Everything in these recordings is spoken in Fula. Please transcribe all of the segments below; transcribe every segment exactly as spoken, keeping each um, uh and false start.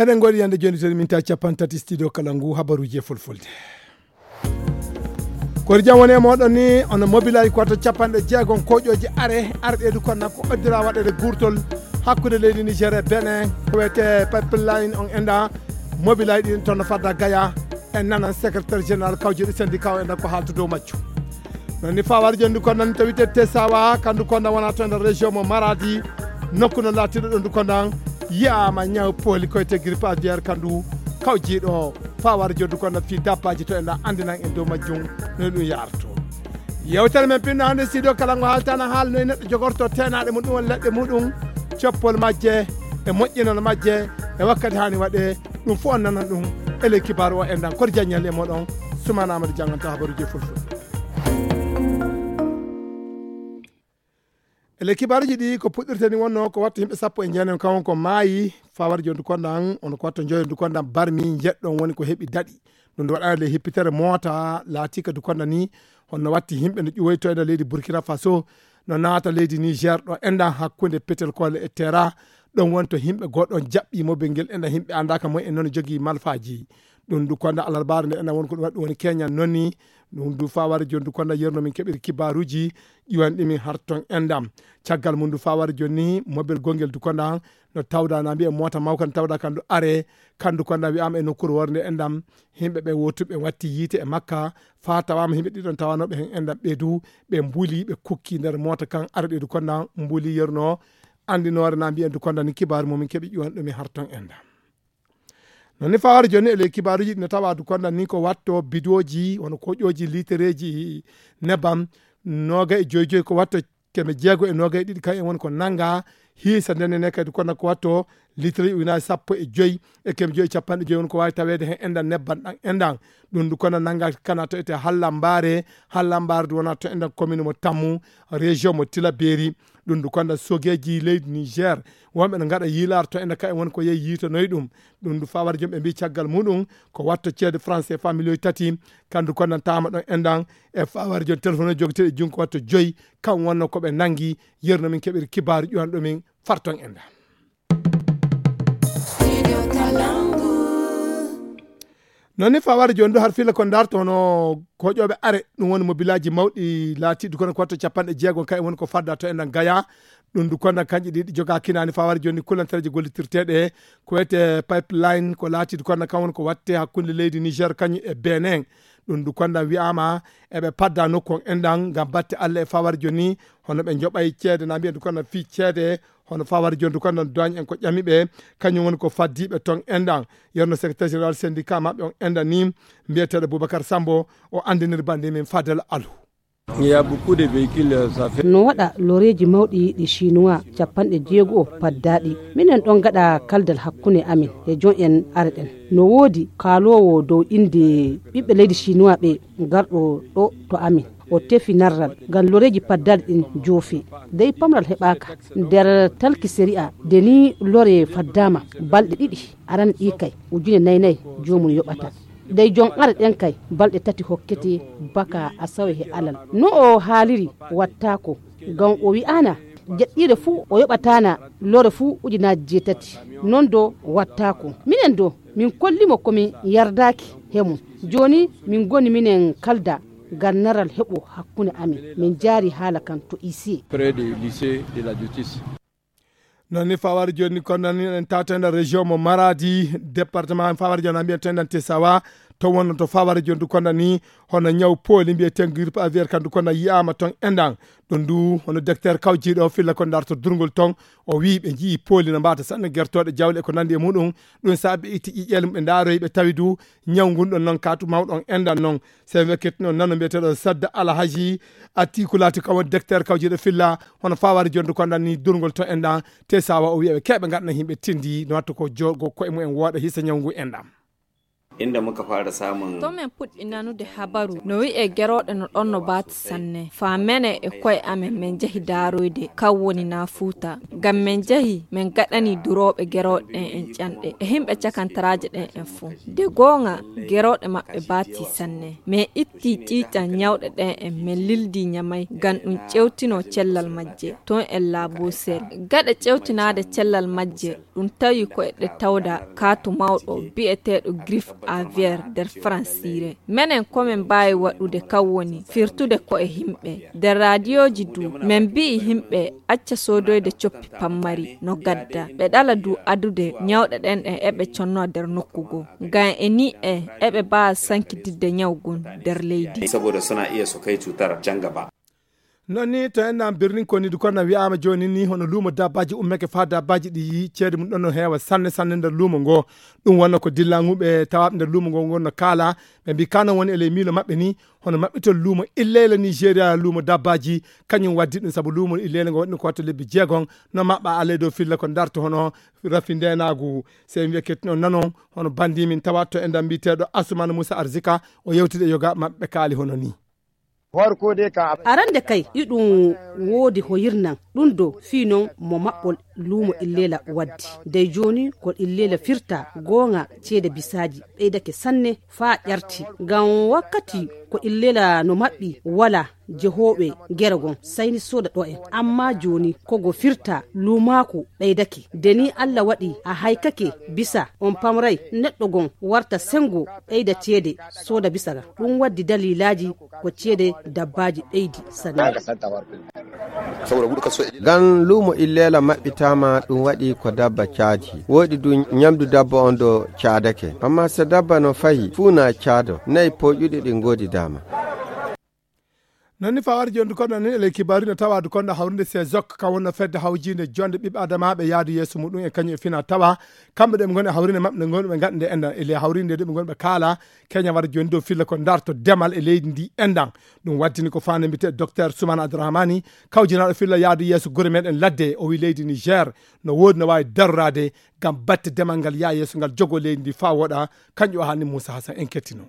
Eɗen ngoɗi yande joni toni min ta capan tati studio kala ngu habaruji e fulfulde. Kori jam woni e moɗon ni, ono mobilaaji ko wato capanɗe jeegom koƴooji are arɗeedu kon nan ko oddira waɗede gurtol hakkunde leydi Niger e Benin, ko wiyete pipeline on enda. Mobilaaji ɗin toon no fadda Gaya, en nanan secrétaire général kawjuɗi syndicat o enda ko haalta dow majju. Non ni fawar jondu kon nan to wiyete Tesawa, kandu kon nan wona to ender région mo Maradi, nokku no laatiɗo ɗon du kon nan yi'ama ñaw pooli koyte grippe aviaire kandu kawjiɗo fawar jondu kon nan fi dabbaji to enda andinan en dow majjum no ɗum yarto. Yewtere men pinno hande studio kala ngo haaltana haal noy neɗɗo jogorto tenaɗe muɗum won leɗɗe muɗum, coppol majje e moƴƴinol majje e wakkati hani waɗe. Ɗum fof on nanan ɗum ele kibaru o endan kor jaññal e moɗon. Sumana Amadou janganta habaruji e fulfulde. Ele kibaruji ɗi ko puɗɗirteni wonno ko wattu yimɓe sappo e jeenayi kan on ko maayi fawar jondu kondan on ko wattu joyondu kondan barmi jeɗɗon woni ko heɓi daɗi. Ɗum ndu waɗana le hippitere moota laatika du kondan ni honno watti yimɓe no ƴuwoyto e nder leydi Burkina Faso no naata leydi Niger ɗo endan hakkunde petel kole e tera. Ɗon woni to yimɓe goɗɗon jaɓɓi mobel ngel endan yimɓe andaka mo en noon jogii malfaji. Ɗum du konda alarbaare nde ena woni ko ɗum waɗi ɗum woni keñan noni. Ɗum du faware joni du konda yerno min keɓiri kibaruji ƴiwan ɗimin har ton endam. Caggal mum du faware joni ni mobel gongel du konda no tawda na mbiye mota mawka no tawda kan du are kandu konda wiyama e nokkure worde endam. Yimɓe ɓe wotuɓe watti yiite e makka fa tawama yimɓe ɗiɗon tawanoɓe hen endam ɓe du ɓe mbuli ɓe kukki nder mota kan are ɓe du konda mbuli yerno. Andinore na mbiyen du konda ni kibaru mumin keɓi ƴiwan ɗumi har ton endam. Non ni fawar joni e ley kibaruji ɗi no tawa du konda ni ko watto bidoji wano koƴoji litereji nebam noga e joyi joyi ko watto keme jeego e noga e ɗiɗi kan en woni ko nanga hiisa ndene ne kadi konda ko watto litereji ujunaji sappo e joyi e keme joyi e capanɗe joyi woni ko wawi tawede hen endan nebban ɗan endan. Ɗum du konda nanga kana to ete hallambare hallambare du wona to endan commune mo tammu région mo tilaberi. Ɗum du konda sogeji leydi Niger wonɓe no gaɗa yiilar to ene ka en woni ko yehi yiitonoyi ɗum. Ɗum du fawar jom ɓe mbi caggal muɗum ko watto ceede français fa miliyoji tati. Kandu kondantama ɗon endan e fawar jom téléphone o jogoteɗo junko watto joyi kan wonno koɓe nangi yerno min keɓiri kibaru ƴuwan ɗumin farton endan. Non ni fawar joni du har fila ko darto no koƴoɓe are ɗum woni mobilaji mawɗi laatiɗi kono ko watto capanɗe jeego kay woni ko fadda to enɗan gaya. Ɗum du konda kanƴe ɗiɗi joga kinani fawar joni kulantareji gollitirteɗe ko wiyete pipeline ko laatiɗi konda kan woni ko watte hakkunde leydi Niger kañum e Benin. Ɗum du konda wiyama eɓe padda nokku on enɗan ngam batte Allah e fawar joni hono ɓe joɓay ceede na mbiyen du konda fi ceede. Hono fawar jondu kondan doagne en ko ƴami ɓe kañum woni ko faddiɓe ton endan yerno secrétaire général syndicat maɓɓe on endan ni mbiyeteɗo boubacar sambo o andinir bandi min fadel alu. Il y a beaucoup de véhicules, ça fait. No waɗa loreeji mawɗi ɗi chinois capanɗe jeego o paddaaɗi minen ɗon gaɗa kaldal hakkunde amin e jon en areɗen. No woodi kaaloowo dow innde ɓiɓɓe leydi chinois ɓe garɗo ɗo to amin o tefi narral ngam loreeji paddaaɗi ɗin joofi dey pamral heɓaaka nder talki séri'a de ni lore faddaama balɗe ɗiɗi aran ɗi kay ujune nayi nayi joomum yoɓata dey jon ara ɗen kay balɗe tati hokkete baka asawe he alal no o haaliri wattaako ngam o wi'aana jeɗɗiire fuu o yoɓataana lore fuu ujunaaji jeetati non do wattaako minen do min kollimo ko min yardaaki he mum jooni min ngoni minen kalda gannaral heɓo hakkunde amin min jaari haala kan to lycée. Près du lycée de la justice. Non ni fawar joni kono nan en tawta nder région mo Maradi département fawar joni mbiyen tendan Tesawa to wonno to fawar joni du kono ni hono ñaw pooli mbiye tengir pa ver kan du kono yiyama ton endan ɗum du hono docteur kawjiɗo filla ko darto durgol ton o wi ɓe jii pooli no mbata sanne gertoɗe jawle e ko nandi e muɗum. Ɗum sa ɓe itti ƴiƴel ɓe ndaroyi ɓe tawi du ñaw ngun ɗon noon katu mawɗon endan noon. Sen wekkit noon nano mbiyeteɗo sadda alhaji atti ko laati kam woni docteur kawjiɗo filla hono fawari jondu ko andan ni durgol to endan te sawa o wiya ɓe keɓe ngadna yimɓe tindi no wattu ko jogo koye mumen wooɗa hisa ñaw ngu endan. Inda muka fara samun. To men puɗɗi nanude habaru, no wi'e gerooɗe no ɗon no baati sanne. Faa mene e ko'e amen men njahi daaroyde, kaw woni naa Fuuta. Ngam men njahi, men gaɗani durooɓe gerooɗe ɗen en ƴanɗe, e himɓe cakantaraaje ɗen en fuu. De gooŋa, gerooɗe maɓɓe baati sanne. Men itti ƴiiƴan ɲawɗe ɗen en, men lildi Ɲamay, ngam ɗum ƴewtino cellal majje. Ton en laabosel. Gaɗa ƴewtinaade cellal majje, ɗum tawi ko eɗe tawda kaatu mawɗo bi'eteeɗo Griffe Aviaire nder Faransiire. Menen ko men mbaawi waɗude kan woni firtude ko'e himɓe. Nder raadiyooji du, men mbi'i himɓe acca soodoyde coppi pammari no gadda. Ɓe ɗala du adude ɲawɗe ɗen ɗen eɓe conno nder nokku goo. Ngam e ni en eɓe mbaawa sankitidde ɲaw ngun nder leydi. Saboda suna iya su kai cutar can gaba. Non ni to enɗan birnin koni du konna wi'ama joni ni hono luumo dabbaji ummeke fa dabbaji ɗi ceede mum ɗon no heewa sanne sanne nder luumo ngo. Ɗum wonno ko dillanguɓe tawaɓe nder luumo ngo ngon no kaala. Ɓe mbi kano woni e ley miilo maɓɓe ni hono maɓɓitol luumo illeyla Nigeria luumo dabbaji. Kañum waddi ɗum sabu luumo illeyla ngo waɗi ko watta lebbi jeegon no maɓɓa alay dow filla ko darto hono rafi ndenagu. Sey wiya kettinon nanon hono bandi min tawa to enɗan mbiyeteɗo Asumana Moussa Arzika o yewtide yoga maɓɓe kaali hono ni. Arande kay iɗum woodi hoyirnan ɗum do fii non mo maɓɓol luumo illela waddi dey jooni ko illela firta goonga ceede bisaaji ɓeydake sanne faa ƴarti ngam wakkati ko illela no maɓɓi wala jehooɓe gere gon sayni sooda ɗo en amma jooni kogo firta luumaaku ɓeydake de ni allah waɗi a haykake bisa on pamray neɗɗo gon warta sengo ɓeyda ceede sooda bisa ga ɗum waddi dalilaaji ko ceede dabbaaji ɓeydi sanne. Ngam luumo illeela maɓɓitaama ɗum waɗi ko dabba caadi woɗi du ñamdu dabba on do caadake amma so dabba no fayi fuu na caado nayi poƴuɗi ɗi ngoodi daama. Non ni fawar jondu kono ni ele kibari no tawa du kono hawrinde sezok ka wonno fedde hawjinde jonde ɓiɓɓe adamaɓe yaadu yeeso muɗum e kañum e fina tawa kamɓe ɗe ɓe ngoni hawrinde maɓɓe nde ngoni ɓe gaɗande enɗan ele hawrinde de ɓe ngoni ɓe kaala keña war joni dow filla ko darto demal e leydi ndi enɗan. Ɗum waddini ko fande mbite docteur Soumana Abdourahmani kawjinaɗo filla yaadu yeeso gure meɗen ladde o wi leydi Niger no wodi no wawi darorade ngam batte demal ngal yaa yeeso ngal jogo leydi ndi fa woɗa. Kanƴum o hanni Moussa Hassan en kettino.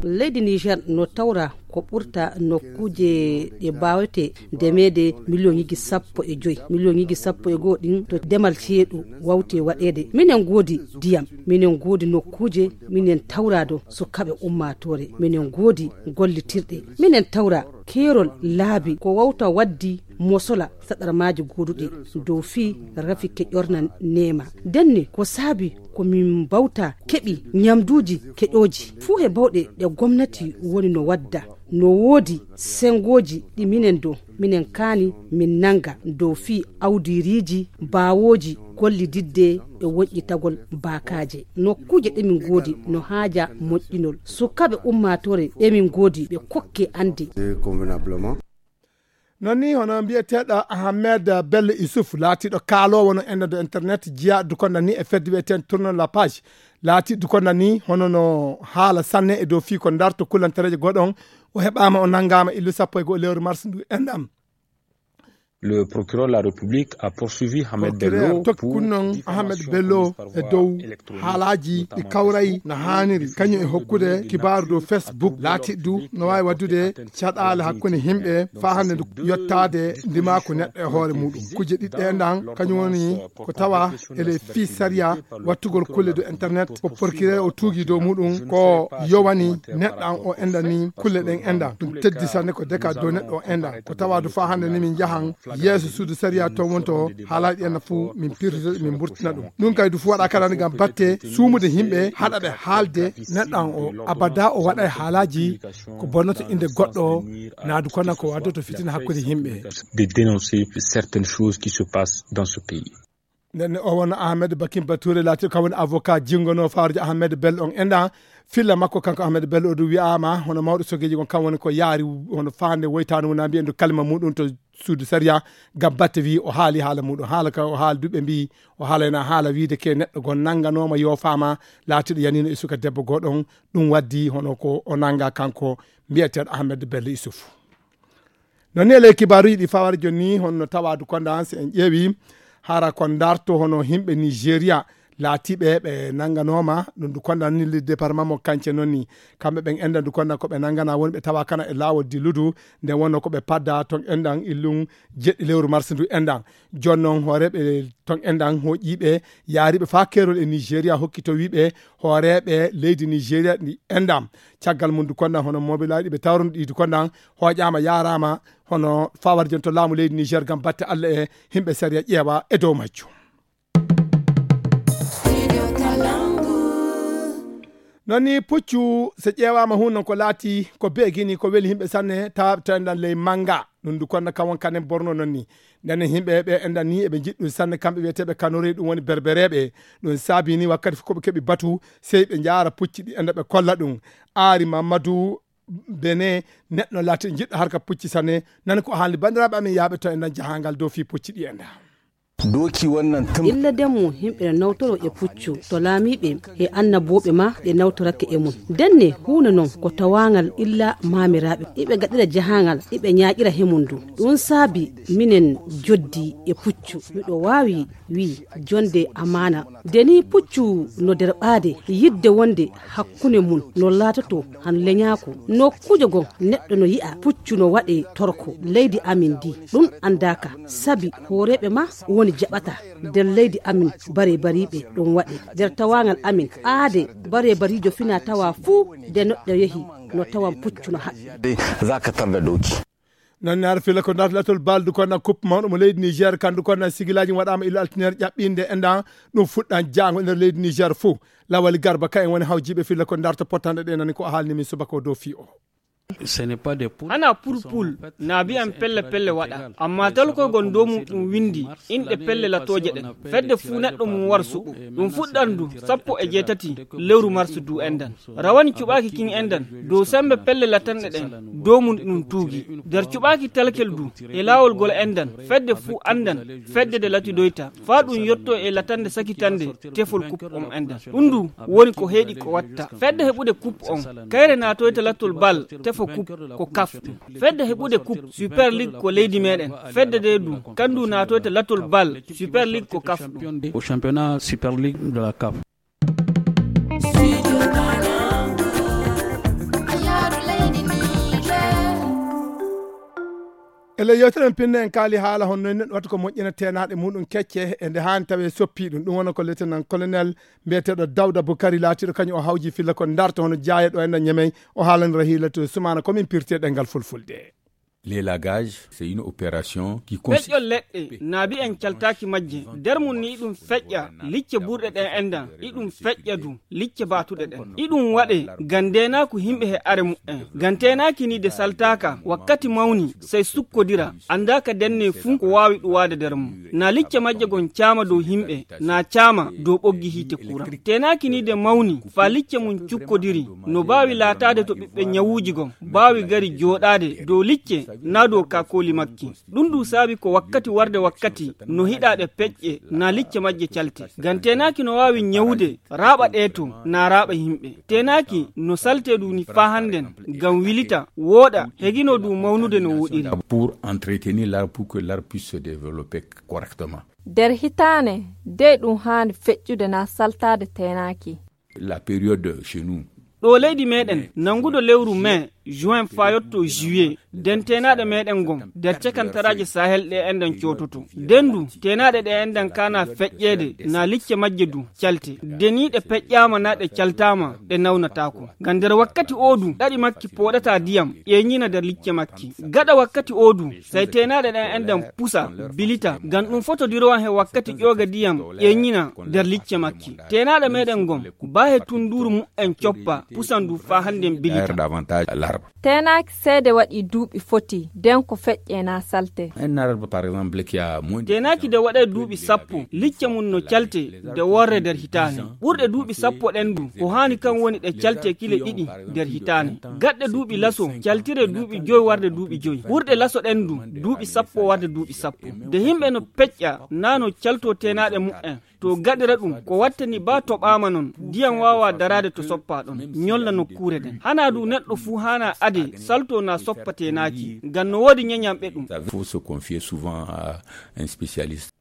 Leydi Niger no tawra ko ɓurta nokkuuje ɗe mbawete ndemeede miliyoŋiji sappo e joyi miliyoŋiji sappo e goo ɗin to demal ceeɗu wawte waɗeede minen ngoodi ndiyam minen ngoodi nokkuuje minen tawra do sukaɓe ummatore minen ngoodi gollitirɗe minen tawra keerol laabi ko wawta waddi mosola saɗarmaaji gooduɗi dow fii rafi keƴorna neema. Denne ko saabi ko min mbawta keɓi ñamduuji keƴooji fuu he bawɗe ɗe gomnati woni no wadda no woodi sengooji ɗi minen do minen kaani min nannga dow fii awdiiriiji baawooji gollididde e woƴƴitagol baakaaje nokkuuje ɗe min ngoodi no haaja moƴƴinol sukaaɓe ummaatoore ɗe min ngoodi ɓe kokke annde. Non ni hono mbiyeteeɗo ahamed bello isuf laatiiɗo kaaloowo no enɗan do internet jeyaa dukonda ni e fedde wiyeteen tournon la page laatii dukonda ni hono no haala sanne e dow fii ko darto kullantereeje goɗon o heɓaama o nanngaama illu sappo e goo lewru mars ndu enɗan. Le procureur de la République a poursuivi Ahmed Bello tokki kunnon Ahmed Bello e dow haalaaji ɗi kawray no haaniri kañum e hokkude kibaaru dow Facebook laatiiɗo du no waawi waɗdude caɗaale hakkunde yimɓe faa hannde ndu yottaade ndimaaku neɗɗo e hoore muɗum kujje ɗiɗɗe enɗan kañum woni ko tawa ele fii sariya wattugol kulle dow internet ko porkiree o tuugi dow muɗum ko yowani neɗɗan o enɗan ni kulle ɗen enɗan ɗum teddi sanne ko deka dow neɗɗo o enɗan ko tawa du faa hannde ni min njahan yeeso suudu sariya ton wonto haalaaji ɗi enɗan fof min pirtoto min mburtina ɗum ɗum kay du fof waɗa kala ni ngam batte suumude yimɓe haɗa ɓe haalde neɗɗan o abada o waɗa e haalaaji ko bonnoto innde goɗɗo naadu kono ko waddoto fitina hakkunde yimɓe. De dénoncer certaines choses qui se passent dans ce pays. Nden o won ahmed bakin bature laati kam woni avocat jingono fawrude ahmed bel on enɗa filla makko kanko ahmed bel o du wiyama hono mawɗo sogeji kon kam woni ko yaari hono fande woytani wona mbiyen du kalima muɗum to suudu sariya ngam batte wi o haali haala muɗum haala ka o haali duɓe mbi o haalayna haala wiide ke neɗɗo gon nanganoma yofama laatiɗo yanino e suka debbo goɗon. Ɗum waddi hono ko o nanga kanko mbiyeteɗo ahmed bello isuf. Non ni e ley kibaaruji ɗi fawara joni ni honno tawadu konda si en ƴeewi hara ko darto hono himɓe nigeria laatiiɓe ɓe nannganooma ɗum ndu konda ni le département mo kance noon ni. Kamɓe ɓen enndan ndu konda ko ɓe nanngana woni ɓe tawa kana e laawol dilludu, nde wonno ko ɓe padda ton enndan illun jeɗɗi lewru mars ndu enndan. Jooni noon hooreeɓe ton enndan hooƴiiɓe yaariiɓe faa keerol e Nigeria hokki to wiiɓe hooreeɓe leydi Nigeria ɗi enndan. Caggal mum ndu konda hono mobilaaji ɓe tawruno ɗi ndu konda hooƴaama yaaraama hono fawar jon to laamu leydi Niger ngam batte Allah e himɓe sariya ƴeewa e dow majjum. Noon ni puccu so ƴeewaama hun noon ko laati ko beegini ko weli himɓe sanne tawa to enɗan ley mannga ɗum ndu konna kawon kanen borno noon ni. Ndenen himɓe ɓe enɗan ni eɓe njiɗi ɗum sanne kamɓe wiyeteeɓe kanore ɗum woni berbereeɓe. Ɗum saabi ni wakkati fof ko ɓe keɓi batu sey ɓe njaara pucci ɗi enɗa ɓe kolla ɗum. Aari mamadou bene neɗɗo laati jiɗɗo harka pucci sanne. Nani ko haalni banndiraaɓe amin yaaɓe to enɗan jahangal dow fii pucci ɗi enɗa. Doki wannan tun. Illa demmu himɓe no nawtoro e puccu to laamiiɓe e annabooɓe ma ɓe nawtorake e mum. Denne huunde non ko tawaangal illa maamiraaɓe iɓe gaɗira jahaangal iɓe ñaaƴira he mum du. Ɗum saabi minen joddi e puccu miɗo waawi wii jonde amaana. Deni puccu no derɓaade yidde wonde hakkunde mum no laatoto han leñaako. Nokkuujo goo neɗɗo no yi'a puccu no waɗe torko leydi amin ndi. Ɗum anndaaka sabi hooreeɓe ma woni jaɓata nder leydi amin bare bariiɓe ɗum waɗe nder tawaangal amin aade bare bariijo fina tawa fuu nde neɗɗo yehi no tawan puccu no haɓɓi. Za ka tarda doki. Noon ne hara filla ko darta latol baldu ko nan coupe mawɗo mo leydi Niger kandu ko nan sigilaaji waɗaama ila altiner ƴaɓɓinde enɗan ɗum fuɗɗan jaango nder leydi Niger fof. Lawali Garba ka en woni hawjiiɓe filla ko darta pottanɗe ɗe nani ko a haalni min subaka o dow fii o. Hana purpul na biyan pelle pelle waɗa amma talkoygol dow mum ɗum windi inɗe pelle latooje ɗen. Fedde fuu neɗɗo mum war suɓo ɗum fuɗɗan du sappo e jeetati lewru marsu du enɗan. Rawani cuɓaaki kin enɗan dow sembe pelle latanɗe ɗen dow mum ɗum tuugi. Nder cuɓaaki talkel du e laawol gol enɗan fedde fuu anndan fedde de latidoyta faa ɗum yotto e latande sakitande tefol kup on enɗan. Ɗum du woni ko heeɗi ko watta fedde heɓude kup on kayre naatoyta latol bal tefo kup ko kaf ɗum. Fedde heɓude kup super ligue ko leydi meɗen. Fedde de du kandu naatoyta latol bal super ligue ko kaf ɗum. Au championnat super ligue de la kaf. Ele yewtere en pinne en kaali haala honno en neɗɗo watta ko moƴƴina teenaaɗe muɗum kecce e nde haani tawi e soppi ɗum ɗum wona ko lieutenant colonel mbiyeteeɗo dawda bukari laatiiɗo kañum o hawji filla ko darta hono jaaye ɗo enɗan ñamey. O haalanira hiilatude sumana komin pirte ɗengal fulfulde. L'élagage, c'est une opération qui consiste. Feƴƴol leɗɗe naabi en caltaaki majje nder mum ni ɗum feƴƴa licce burɗe ɗen enɗan iɗum feƴƴa du licce baatuɗe ɗen iɗum waɗe ngam ndeenaaku yimɓe he are muɓɓen. Ngam teenaaki ni de saltaaka wakkati mawni sey sukkodira anndaaka denne fuu ko waawi ɗuwaade nder mum. Na licce majje gon caama dow yimɓe na caama dow ɓoggi hiite kuran. Teenaaki ni de mawni faa licce mum cukkodiri no baawi laataade to ɓiɓɓe ñawuuji gon baawi gari jooɗaade dow licce na dow kaakooli makki. Ɗum ɗum saabi ko wakkati warde wakkati no hiɗaaɗe peƴƴe na licce majje calte. Ngam teenaaki no waawi ñawude raaɓa ɗeeto na raaɓa yimɓe. Teenaaki no saltee ɗum ni faa hannden ngam wilita wooɗa heginoo ɗum mawnude no wooɗiri. Pour entretenir l'arbre pour que l'arbre puisse se développer correctement. Nder hitaande dey ɗum haani feƴƴude na saltaade teenaaki. La période chez nous. Ɗo leydi meɗen nanguɗo lewru mai juin faa yotto juillet den teenaaɗe meɗen gon nder cakantaraaje sahel ɗe enɗan coototo. Den du teenaaɗe ɗe enɗan kaana feƴƴeede na licce majje du calte. Deniiɗe peƴƴaama na ɗe caltaama ɗe nawnataako. Ngam nder wakkati oo du ɗaɗi makki pooɗata diyam ƴeeñina nder licce makki. Gaɗa wakkati oo du sey teenaaɗe ɗen enɗan pusa bilita ngam ɗum fotodirowaan he wakkati ƴooga diyam ƴeeñina nder licce makki. Teenaaɗe meɗen gon baa he tunnduuru muɓɓen coppa pusan du faa hannden bilita. Teenaaki seede waɗi duuɓi foti den ko feƴƴe na salte. Teenaaki de waɗay duuɓi sappo licce mum no calte de worre nder hitaande. Ɓurɗe duuɓi sappo ɗen du ko haani kan woni ɗe calte kile ɗiɗi nder hitaande. Gaɗɗe duuɓi laso caltire duuɓi joy warde duuɓi joy. Ɓurɗe laso ɗen du duuɓi sappo warde duuɓi sappo. De yimɓe no peƴƴa na no caltoo teenaaɗe muɓɓen. To gaɗira ɗum ko wattani baa toɓaama non ndiyam waawaa daraade to soppaa ɗon ñolla nokkuure nden. Hanaa du neɗɗo fuu haanaa adee saltoo naa soppa teenaaki ngam no woodi ñeñanɓe ɗum. Il faut se confier souvent à un spécialiste.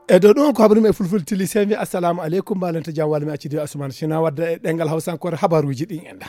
E dow ɗum ko habaru men e fulfulde tili, sey mi assalamu aleykum, mbalenta jam, walla mi acci diwa asuman sina wadda e ɗengal hawsankore habaruji ɗin enɗa.